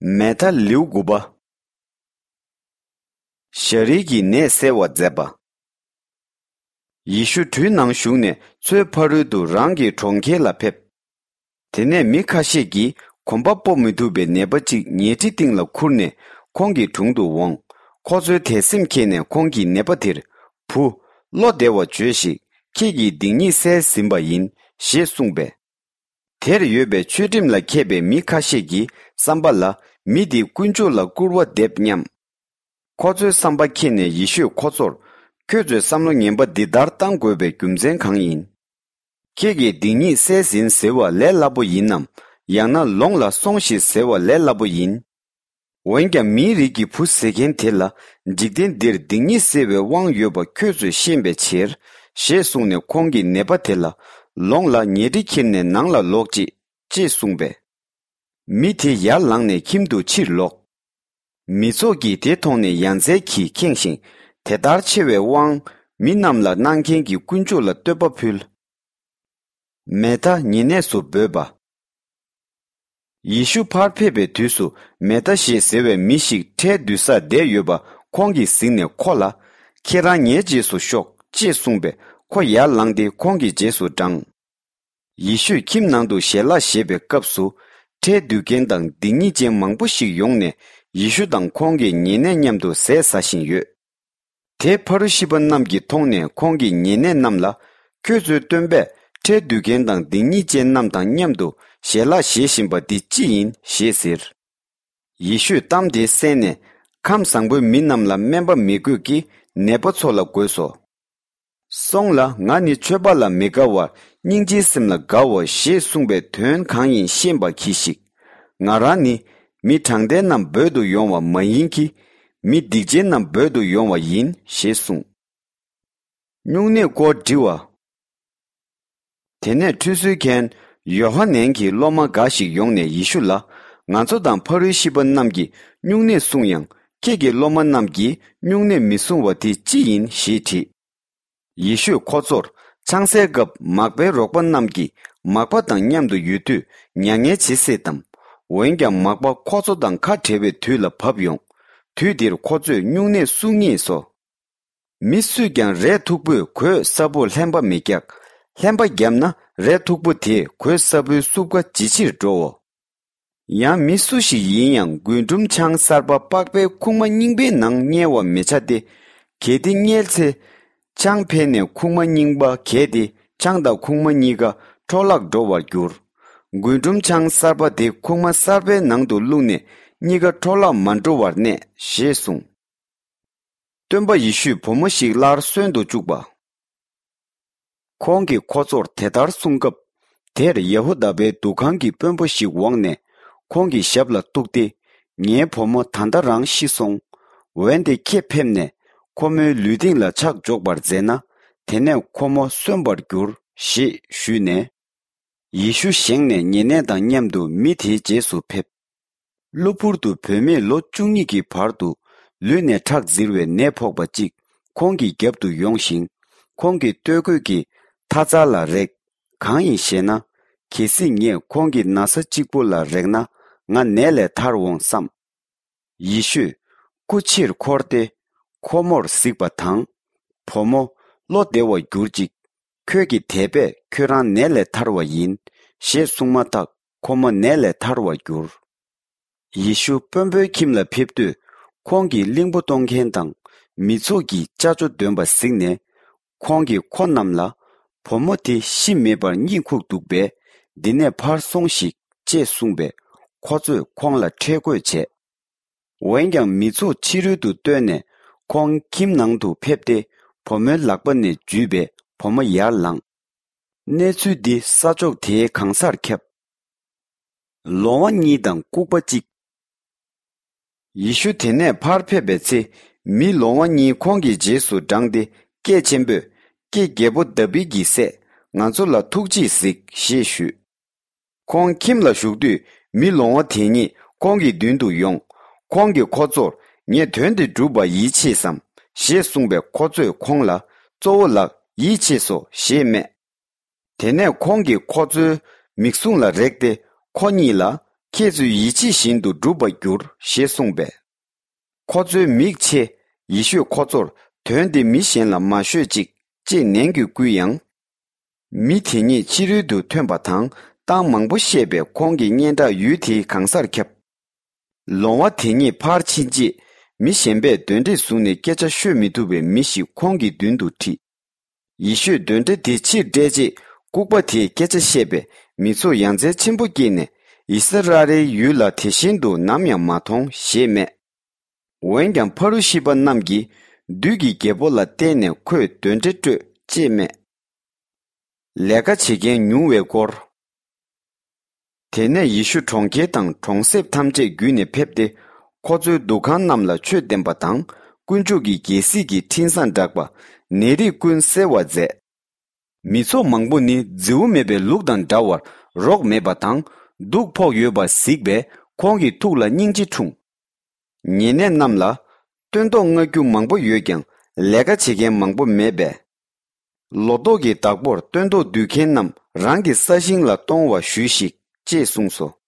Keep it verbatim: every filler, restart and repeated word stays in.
མེ་ཐ་ལེའུ་དགུ་པ། ཞ་རིལ་གྱི་ནད་སེལ་བར་མཛད་པ། ཡེ་ཤུ་གྲུའི་ནང་ཞུགས་ནས་མཚོའི་ཕ་རོལ་དུ་རང་གི་གྲོང་ཁྱེར་ལ་ཕེབས། དེ་ནས་མི་ཁ་ཤས་ཀྱིས་གོམ་པ་སྤོ་མི་ཐུབ་པའི་ནད་པ་གཅིག་ཉལ་ཁྲི་སྟེང་ལ་ཁུར་ནས་ཁོང་གི་དྲུང་དུ་འོངས། ཁོ་ཚོའི་དད་སེམས་མཁྱེན་ནས་ཁོང་གིས་ནད་པ་དེར། བུ། བློ་བདེ་བར་བྱོས་ཤིག། ཁྱེད་ཀྱི་སྡིག་ཉེས་བསལ་ཟིན་པ་ཡིན། ཞེས་གསུངས་པས། དེར་ཡོད་པའི་ཆོས་ཁྲིམས་ལ་མཁས་པའི་མི་ཁ་ཤས་ཀྱི་བསམ་པ་ལ། མི་འདིས་དཀོན་མཆོག་ལ་སྐུར་བ་འདེབས་སྙམ། ཁོ་ཚོའི་བསམ་པ་མཁྱེན་ནས་ཡེ་ཤུས་ཁོ་ཚོར། ཁྱོད་ཚོས་བསམ་བློ་ངན་པ་འདི་ལྟར་བཏང་དགོས་པའི་རྒྱུ་མཚན་གང་ཡིན། ཁྱེད་ཀྱི་སྡིག་ཉེས་བསལ་ཟིན་ཟེར་བ་ལས་སླ་པོ་ཡིན་ནམ། ཡང་ན་ལོངས་ལ་སོང་ཞིག་ཟེར་བ་ལས་སླ་པོ་ཡིན། འོན་ཀྱང་མིའི་རིགས་ཀྱི་བུ་ཟེར་མཁན་དེ་ལ། འཇིག་རྟེན་འདིར་སྡིག་ཉེས་སེལ་བའི་དབང་ཡོད་པ་ཁྱོད་ཚོས་ཤེས་པའི་ཕྱིར། ཞེས་གསུངས་ནས་ཁོང་གིས་ནད་པ་དེ་ལ། ལོངས་ལ་ཉལ་ཁྲི་ཁྱེར་ནས་ནང་ལ་ལོག་ཅིག། ཅེས་གསུངས་པས། མི་དེ་ཡར་ལངས་ནས་ཁྱིམ་དུ་ཕྱིར་ལོག། མི་ཚོགས་ཀྱིས་དེ་མཐོང་ནས་ཡ་མཚན་གྱིས་ཁེངས་ཤིང་། དེ་ལྟར་ཆེ་བའི་དབང་མི་རྣམས་ལ་གནང་མཁན་གྱི་དཀོན་མཆོག་ལ་བསྟོད་པ་ཕུལ། མེ་ཐ་ཉེ་གནས་སུ་འབོད་པ། ཡེ་ཤུ་ཕར་ཕེབས་པའི་དུས་སུ། མེ་ཐ་ཞེས་ཟེར་བའི་མི་ཞིག་ཁྲལ་བསྡུ་སར་བསྡད་ཡོད་པ་ཁོང་གིས་གཟིགས་ནས་ཁོ་ལ། ཁྱེད་རང་ངའི་རྗེས་སུ་ཤོག། ཅེས་གསུངས་པས། ཁོ་ཡར་ལངས་ཏེ་ཁོང་གི་རྗེས་སུ་འབྲངས། ཡེ་ཤུས་ཁྱིམ་ནང་དུ་ཞལ་ལག་བཞེས་པའི་སྐབས་སུ། ཁྲལ་བསྡུ་མཁན་དང་སྡིག་ཉེས་ཅན་མང་པོ་ཞིག་ཡོང་ནས། ཡེ་ཤུ་དང་ཁོང་གི་ཉེ་གནས་མཉམ་དུ་ཟས་ཟ་བཞིན་ཡོད། དེ་ཕ་རུ་ཤི་པ་རྣམས་ཀྱིས་མཐོང་ནས་ཁོང་གི་ཉེ་གནས་རྣམས་ལ། ཁྱོད་ཚོའི་སྟོན་པས་ཁྲལ་བསྡུ་མཁན་དང་སྡིག་ཉེས་ཅན་རྣམས་དང་མཉམ་དུ་ཞལ་ལག་བཞེས་བཞིན་པ་འདི་ཅི་ཡིན་ཞེས་ཟེར། ཡེ་ཤུས་གཏམ་དེ་གསན་ནས། ཁམས་བཟང་པོའི་མི་རྣམས་ལ་སྨན་པ་མི་དགོས་ཀྱི། ནད་པ་ཚོ་ལ་དགོས་སོ། སོང་ལ། ང་ནི་ཆོས་པ་ལ་མི་དགའ་བར་སྙིང་རྗེའི་སེམས་ལ་དགའ་འོ། ཞེས་གསུངས་པའི་དོན་གང་ཡིན་ཤེས་པར་གྱིས་ཤིག། ང་རང་ནི་མི་དྲང་བདེན་རྣམས་འབོད་དུ་ཡོང་བ་མ་ཡིན་གྱི། མི་སྡིག་ཅན་རྣམས་འབོད་དུ་ཡོང་བ་ཡིན། ཞེས་གསུངས། སྨྱུང་གནས་སྐོར་འདྲི་བ། དེ་ནས་ཁྲུས་གསོལ་མཁན་ཡོ་ཧ་ནན་གྱི་སློབ་མ་འགའ་ཞིག་ཡོང་ནས་ཡེ་ཤུ་ལ། ང་ཚོ་དང་ཕ་རུ་ཤི་པ་རྣམས་ཀྱིས་སྨྱུང་གནས་བསྲུང་ཡང་། ཁྱེད་ཀྱི་སློབ་མ་རྣམས་ཀྱིས་སྨྱུང་གནས་མི་བསྲུང་བ་དེ་ཅི་ཡིན་ཞེས་དྲིས། ཡེ་ཤུས་ཁོ་ཚོར། ཆང་སའི་སྐབས་མག་པའི་རོགས་པ་རྣམས་ཀྱིས་མག་པ་དང་མཉམ་དུ་ཡོད་དུས་མྱ་ངན་བྱེད་སྲིད་དམ། འོན་ཀྱང་མག་པ་ཁོ་ཚོ་དང་ཁ་བྲལ་བའི་དུས་ལ་བབ་ཡོང་། དུས་དེར་ཁོ་ཚོས་སྨྱུང་གནས་བསྲུང་ངེས་སོ། མི་སུས་ཀྱང་རས་མཐུག་པོས་གོས་སྲབ་པོར་ལྷན་པ་མི་རྒྱག། ལྷན་པ་བརྒྱབ་ན་རས་མཐུག་པོ་དེས་གོས་སྲབ་པོའི་སྲུབས་ཀ་ཇེ་ཆེར་འགྲོའོ། ཡང་མི་སུ་ཞིག་ཡིན་ཡང་རྒུན་འབྲུམ་ཆང་གསར་པ་པགས་པའི་ཁུག་མ་རྙིང་པའི་ནང་བསྙལ་བར་མི་བྱ་སྟེ། གལ་ཏེ་བསྙལ་ཚེ། ཆང་འཕེལ་ནས་ཁུག་མ་རྙིང་པ་གས་ཏེ་ཆང་དང་ཁུག་མ་གཉིས་ཀ་འཕྲོ་བརླག་འགྲོ་བར་འགྱུར། རྒུན་འབྲུམ་ཆང་གསར་པ་དེ་ཁུག་མ་གསར་པའི་ནང་དུ་བླུགས་ནས་གཉིས་ཀ་འཕྲོ་བརླག་མ་འགྲོ་བར་གནས། ཞེས་གསུངས། སྟོན་པ་ཡེ་ཤུས་བུ་མོ་ཞིག་སླར་གསོན་དུ་བཅུག་པ། ཁོང་གིས་ཁོ་ཚོར་དེ་ལྟར་གསུངས་སྐབས། དེར་ཡ་ཧུ་དཱ་པའི་འདུ་ཁང་གི་དཔོན་པོ་ཞིག་འོངས་ནས་ཁོང་གི་ཞབས་ལ་གཏུགས་ཏེ། ངའི་བུ་མོ་ད་ལྟ་རང་ཤི་སོང་། འོན་ཏེ་ཁྱེད་ཕེབས་ནས་ཁོ་མོའི་ལུས་སྟེང་ལ་ཕྱག་འཇོག་པར་མཛད་ན། དེ་ནས་ཁོ་མོ་གསོན་པར་འགྱུར། ཞེས་ཞུས་ནས། ཡེ་ཤུ་བཞེངས་ནས་ཉེ་གནས་དང་མཉམ་དུ་མི་དེའི་རྗེས་སུ་ཕེབས། གློ་བུར་དུ་བུད་མེད་ལོ་བཅུ་གཉིས་ཀྱི་བར་དུ་ལུས་ནས་ཁྲག་འཛིར་བའི་ནད་ཕོག་པ་གཅིག་ཁོང་གི་རྒྱབ་ཏུ་ཡོང་ཞིང་། ཁོང་གི་སྟོད་གོས་ཀྱི་མཐའ་རྩ་ལ་རེག། གང་ཡིན་ཞེ་ན། གལ་སྲིད་ངས་ཁོང་གི་ན་བཟའ་གཅིག་པོ་ལ་རེག་ན། ང་ནད་ལས་ཐར་འོང་བསམ། ཡེ་ཤུས་སྐུ་ཕྱིར་འཁོར་ཏེ། ཁོ་མོར་གཟིགས་པ་དང་། བུ་མོ། བློ་བདེ་བར་གྱུར་ཅིག། ཁྱོད་ཀྱི་དད་པས་ཁྱོད་རང་ནད་ལས་ཐར་བ་ཡིན། ཞེས་གསུངས་མ་ཐག་ཁོ་མོ་ནད་ལས་ཐར་བར་གྱུར། ཡེ་ཤུ་དཔོན་པོའི་ཁྱིམ་ལ་ཕེབས་དུས། ཁོང་གིས་གླིང་བུ་གཏོང་མཁན་དང་མི་ཚོགས་ཀྱིས་ཅ་ཅོ་འདོན་པ་གཟིགས་ནས། ཁོང་གིས་ཁོ་རྣམས་ལ། བུ་མོ་དེ་ཤི་མེད་པར་གཉིད་ཁུག་འདུག་པས། འདི་ནས་ཕར་སོང་ཞིག། ཅེས་གསུངས་པས། ཁོ་ཚོས་ཁོང་ལ་ཁྲེལ་དགོད་བྱས། འོན་ཀྱང་མི་ཚོགས་ཕྱི་རོལ་དུ་བཏོན་ནས་ཁོང་ཁྱིམ་ནང་དུ་ཕེབས་ཏེ་བུ་མོའི་ལག་པ་ནས་འཇུས་པས་བུ་མོ་ཡར་ལངས། གནས་ཚུལ་འདི་ས་ཕྱོགས་དེའི་གང་སར་ཁྱབ། ལོང་བ་གཉིས་དང་ལྐུགས་པ་གཅིག། ཡེ་ཤུ་དེ་ནས་ཕར་ཕེབས་པའི་ཚེ། མི་ལོང་བ་གཉིས་ཁོང་གི་རྗེས་སུ་འབྲངས་ཏེ་སྐད་ཆེན་པོས། ཀྱེ་རྒྱལ་པོ་དཱ་བིད་ཀྱི་སྲས། ང་ཚོ་ལ་ཐུགས་རྗེས་གཟིགས། ཞེས་ཞུས། ཁོང་ཁྱིམ་ལ་བཞུགས་དུས་མི་ལོང་བ་དེ་གཉིས་ཁོང་གི་མདུན་དུ་ཡོང་། ཁོང་གིས་ཁོ་ཚོར། ངས་དོན་འདི་བསྒྲུབ་པར་ཡིད་ཆེས་སམ། ཞེས་གསུངས་པས། ཁོ་ཚོས་ཁོང་ལ། གཙོ་བོ་ལགས། ཡིད་ཆེས་སོ། ཞེས་སྨྲས། དེ་ནས་ཁོང་གིས་ཁོ་ཚོའི་མིག་ཟུང་ལ་རེག་སྟེ་ཁོ་གཉིས་ལ། ཁྱེད་ཚོས་ཡིད་ཆེས་བཞིན་དུ་འགྲུབ་པར་འགྱུར་ཞེས་གསུངས་པས། ཁོ་ཚོའི་མིག་ཕྱེ། ཡེ་ཤུས་ཁོ་ཚོར་དོན་འདི་མི་གཞན་ལ་མ་ཤོད་ཅིག་ཅེས་ནན་གྱིས་བསྐུལ་ཡང་། མི་དེ་ཉིད་ཕྱི་རོལ་དུ་ཐོན་པ་དང་གཏམ་མང་པོ་བཤད་པས་ཁོང་གི་སྙན་གྲགས་ཡུལ་དེའི་གང་སར་ཁྱབ། ལོང་བ་དེ་ཉིད་ཕར་ཕྱིན་རྗེས་མི་གཞན་པས་གདོན་འདྲེ་བཟུང་ནས་སྐད་ཆ་ཤོད་མི་ཐུབ་པའི་མི་ཞིག་ཁོང་གི་མདུན་དུ་ཁྲིད། ཡེ་ཤུས་གདོན་འདྲེ་དེ་ཕྱིར་བསྐྲད་རྗེས་ལྐུགས་པ་དེས་སྐད་ཆ་བཤད་པས་མི་ཚོགས་ཡ་མཚན་ཆེན་པོ་སྐྱེས་ནས་ཨིསི་ར་ཨེལ་ཡུལ་ལ་དེ་བཞིན་དུ་ནམ་ཡང་མ་མཐོང་ཞེས་སྨྲས། འོན་ཀྱང་ཕ་རུ་ཤི་པ་རྣམས་ཀྱིས་བདུད་ཀྱི་རྒྱལ་པོ་ལ་བརྟེན་ནས་ཁོས་གདོན་འདྲེ་བསྐྲོད་ཅེས་སྨྲས། ལས་ཀ་བྱེད་མཁན་ཉུང་བའི་སྐོར། དེ་ནས་ཡེ་ཤུ་གྲོང་ཁྱེར་དང་གྲོང་གསེབ་ཐམས་ཅད་བརྒྱུད་ནས་ཕེབས་ཏེ། ཁོ་ཚོའི་འདུ་ཁང་རྣམས་ལ་ཆོས་བསྟན་པ་དང་། དཀོན་མཆོག་གི་རྒྱལ་སྲིད་ཀྱི་འཕྲིན་བཟང་བསྒྲགས་པ། ནད་རིགས་ཀུན་སེལ་བར་མཛད། མི་ཚོགས་མང་པོ་ནི་རྫི་བོ་མེད་པའི་ལུག་དང་འདྲ་བར་རོགས་མེད་པ་དང་། སྡུག་ཕོག་ཡོད་པ་གཟིགས་པས་ཁོང་གི་ཐུགས་ལ་སྙིང་རྗེ་འཁྲུངས། ཉེ་གནས་རྣམས་ལ། སྟོན་ཐོག་བརྔ་རྒྱུ་མང་པོ་ཡོད་ཀྱང་ལས་ཀ་བྱེད་མཁན་མང་པོ་མེད་པས། ལོ་ཏོག་གི་བདག་པོར་སྟོན་ཐོག་སྡུད་མཁན་རྣམས་རང་གི་ས་ཞིང་ལ་གཏོང་བ་ཞུས་ཤིག་ཅེས་གསུངས་སོ།